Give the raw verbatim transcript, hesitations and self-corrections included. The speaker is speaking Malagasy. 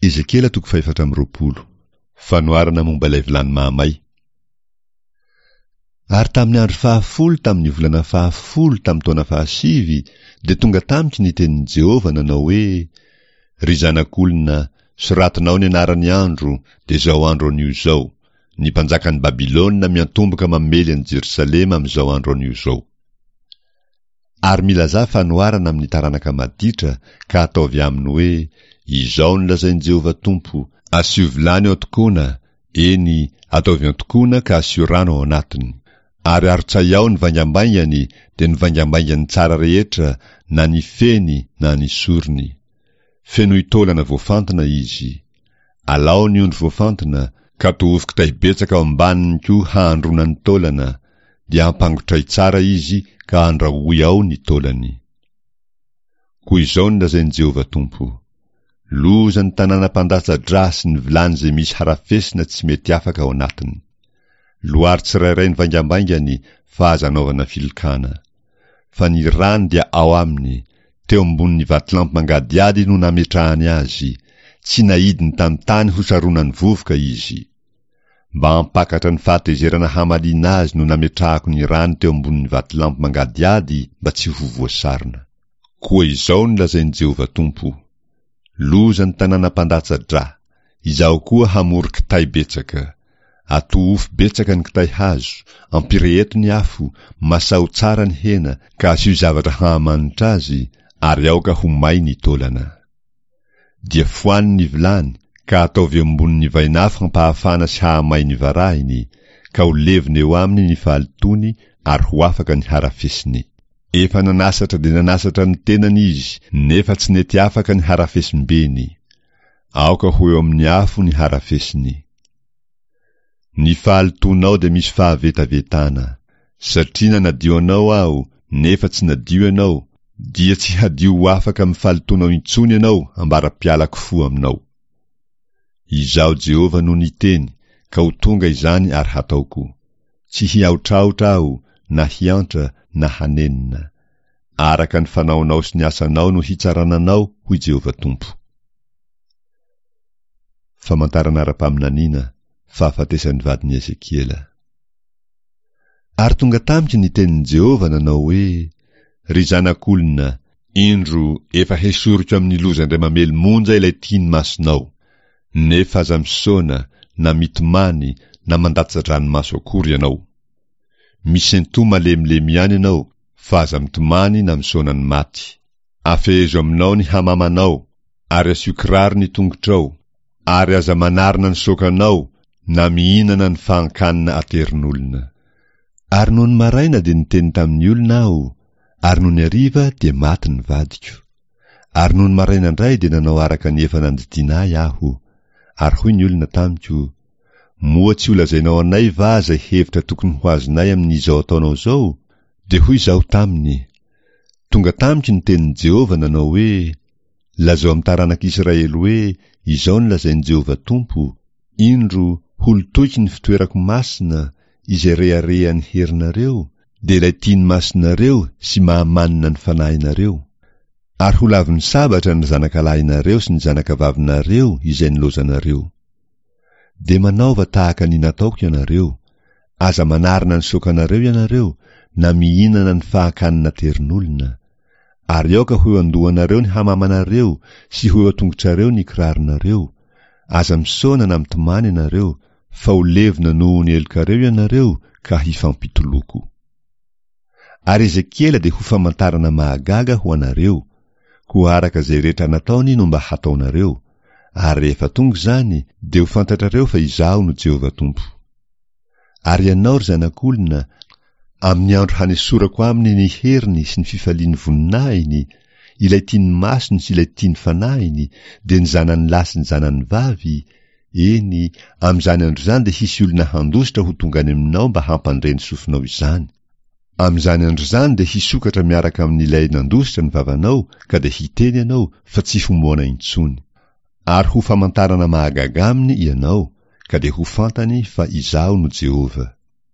Ezekiela toko fahefatra amby roapolo. Fanoharana momba ilay vilany mahamay. Ary tamin'ny andro fahafolo tamin'ny volana fahafolo tamin'ny taona fahasivy dia tonga tamiko ny tenin'i Jehovah nanao hoe, Ry zanak'olona, soratinao ny anaran'ny andro, dia izao andro anio izao, ny mpanjakan'i Babylona miantomboka mamely an'i Jerosalema amin'izao andro anio izao. Ary milazà fanoharana amin'ny taranaka maditra, ka ataovy aminy hoe, Izao no lazain'i Jehovah Tompo, Asio vilany ao an-tokoana, eny, ataovy an-tokoana ka asio rano ao anatiny. Ary arotsay ao ny vaingambaingany, dia ny vaingambaingany tsara rehetra, na ny feny na ny sorony. Fenoy taolana voafantina izy. Alao ny ondry voafantina, ka tohofy kitay betsaka ao ambaniny koa hahandroana ny taolana, dia ampangotray tsara izy ka andrahoy ao ny taolany. Koa izao no lazain'i Jehovah Tompo, Loza ny tanàna mpandatsa-drà sy ny vilany izay misy harafesina tsy mety afaka ao anatiny. Loary tsirairay ny vaingambaingany fa aza anaovana filokana. Fa ny rany dia ao aminy, teo ambonin'ny vatolampy mangadihady no nametrahany azy, tsy naidiny tamin'ny tany hosaronan'ny vovoka izy. Mba hampakatra ny fahatezerana hamaliana azy no nametrahako ny rany teo ambonin'ny vatolampy mangadihady mba tsy ho voasarona. Koa izao no lazain'i Jehovah Tompo, Loza ny tanàna mpandatsa-drà! Izaho koa hamory kitay betsaka. Atohofy betsaka ny kitay hazo, ampireheto ny afo, masaho tsara ny hena, ka asio zavatra hahamanitra azy, ary aoka ho may ny taolana. Dia foano ny vilany, ka ataovy eo ambonin'ny vainafo hampahafana sy hahamay ny varahiny, ka ho levona eo aminy ny fahalotoany ary ho afaka ny harafesiny. Efa nanasatra dia nanasatra ny tenany izy, nefa tsy nety afaka ny harafesim-beny. Aoka ho eo amin'ny afo ny harafesiny. Ny fahalotoanao dia misy fahavetavetana. Satria nanadio anao Aho, nefa tsy nadio ianao, dia tsy hadio ho afaka amin'ny fahalotoanao intsony ianao ambara-pialako fo aminao. Izaho Jehovah no niteny, ka ho tonga izany ary hataoko. Tsy hiahotrahotra Aho, na hiantra, na hanenina. Araka ny fanaonao sy ny asanao no hitsarana anao, hoy Jehovah Tompo. Famantarana ara-paminaniana, fahafatesan'ny vadin'i Ezekiela. Ary tonga tamiko ny tenin'i Jehovah nanao hoe, Ry zanak'olona, indro, efa hesoriko amin'ny loza indray mamely monja ilay tia ny masonao. Nefa aza misaona, na mitomany, na mandatsa-dranomaso akory ianao. Misentoa malemilemy ihany ianao, fa aza mitomany na misaona ny maty. Afehezo aminao ny hamamanao, ary asio kiraro ny tongotrao, ary aza manarina ny sokanao na mihinana ny fahan-kanina aterin'olona. Ary nony maraina dia niteny tamin'ny olona aho, ary nony hariva dia maty ny vadiko. Ary nony maraina indray dia nanao araka ny efa nandidiana ahy aho. Ary hoy ny olona tamiko, Moa tsy holazainao anay va izay hevitra tokony ho azonay amin'izao ataonao izao? Dia hoy izaho taminy, Tonga tamiko ny tenin'i Jehovah nanao hoe, Lazao amin'ny taranak'Israely hoe, Izao no lazain'i Jehovah Tompo, Indro, holotoiko ny fitoerako masina, izay reharehan'ny herinareo, dia ilay tian'ny masonareo sy mahamanina ny fanahinareo. Ary ho lavin'ny sabatra ny zanakalahinareo sy ny zanakavavinareo izay nilaozanareo. Dia manaova tahaka ny nataoko ianareo, aza manarina ny sokanareo ianareo, na mihinana ny fahakanina terin'olona. Ary aoka ho eo an-dohanareo ny hamamanareo sy ho eo an-tongotrareo ny kiraronareo, aza misaona na mitomany ianareo, fa ho levona noho ny helokareo ianareo ka hifampitoloko. Ary Ezekiela dia ho famantarana mahagaga ho anareo, koa araka izay rehetra nataony no mba hataonareo, ary rehefa tonga izany, dia ho fantatrareo fa Izaho no Jehovah Tompo. Ary ianao, ry zanak'olona, amin'ny andro hanesorako aminy ny heriny sy ny fifalian'ny voninahiny, ilay tian'ny masony sy ilay tian'ny fanahiny, dia ny zanany lahy sy ny zanany vavy, eny, amin'izany andro izany dia hisy olona handositra ho tonga any aminao mba hampandre ny sofinao izany. Amin'izany andro izany dia hisokatra miaraka amin'ilay nandositra ny vavanao ka dia hiteny ianao fa tsy ho moana intsony. Ary ho famantarana mahagaga aminy ianao, ka dia ho fantany fa Izaho no Jehovah.